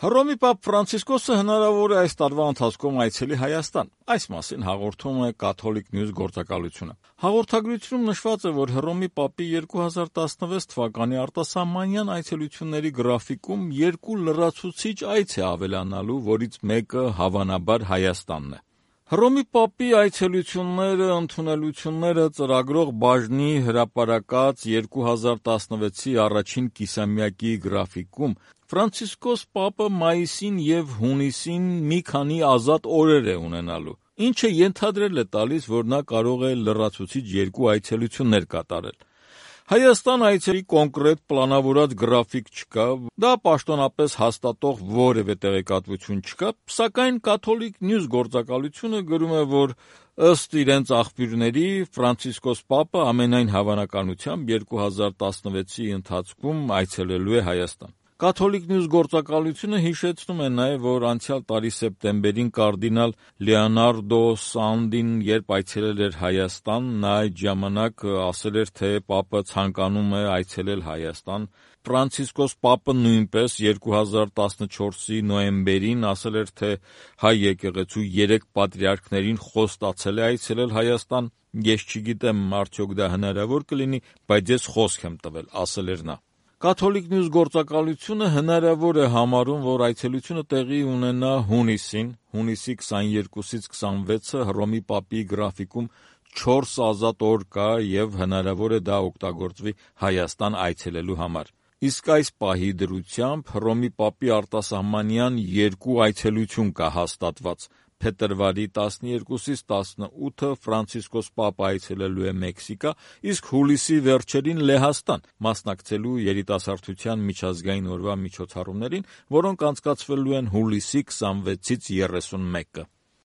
Հռոմի Պապ Ֆրանցիսկոսը հնարավոր է այս տարվա ընթացքում այցելի Հայաստան, այս մասին հաղորդում է Catholic News գործակալությունը։ Հաղորդագրությունում նշված է, որ Հռոմի Պապի 2016 թվականի արտասահմանյան այցելությունների գրաֆիկում 2 լրացուցիչ այց է ավելանալու, որից մեկը հավանաբար Հայաստանն է։ Հռոմի Պապի այցելությունները, ընդունելությունները ծրագրող բաժնի հրապարակած 2016-ի առաջին կիսամյակի գրաֆիկում Ֆրանցիսկոս Պապը մայիսին և հունիսին մի քանի ազատ օրեր է ունենալու, ինչը ենթադրել է տալիս, որ նա կարող է լրացուցիչ 2 այցելություններ կատարել։ Հայաստան այցերի կոնկրետ պլանավորած գրաֆիկ չկա, դա պաշտոնապես հաստատող որևէ տեղեկատվություն չկա, սակայն Catholic News գործակալությունը գրում է, որ ըստ իրենց աղբյուրների Ֆրանցիսկոս Պապը ամենայն հավանականությամբ 2016-ի ընթացքում այցելելու է Հայաստան։ Catholic News գործակալությունը հիշեցնում է նաև, որ անցյալ տարի սեպտեմբերին կարդինալ Լեոնարդո Սանդին, երբ այցելել էր Հայաստան, նա այդ ժամանակ ասել էր, թե Պապը ցանկանում է այցելել Հայաստան։ Ֆրանցիսկոս Պապը նույնպես 2014-ի նոյեմբերին ասել էր, թե հայ եկեղեցու 3 պատրիարքներին խոստացել է այցելել Հայաստան։ Ես չգիտեմ, արդյոք դա հնարավոր կլինի, բայց ես խոսք եմ տվել, ասել էր նա։ Catholic News գործակալությունը հնարավոր է համարում, որ այցելությունը տեղի ունենա հունիսին, հունիսի 22-ից 26-ը Հռոմի Պապի գրաֆիկում 4 ազատ օր կա և հնարավոր է դա օգտագործվի Հայաստան այցելելու համար։ Իսկ այս պահի դրությամբ Հռոմի Պապի արտասահմանյան 2 այցելություն կա հաստատված։ Փետրվարի 12-ից 18-ը Ֆրանցիսկոս Պապը այցելելու է Մեքսիկա, իսկ հուլիսի վերջերին Լեհաստան, մասնակցելու երիտասարդության միջազգային օրվա միջոցառումներին, որոնք անցկացվելու են հուլիսի 26-ից 31-ը։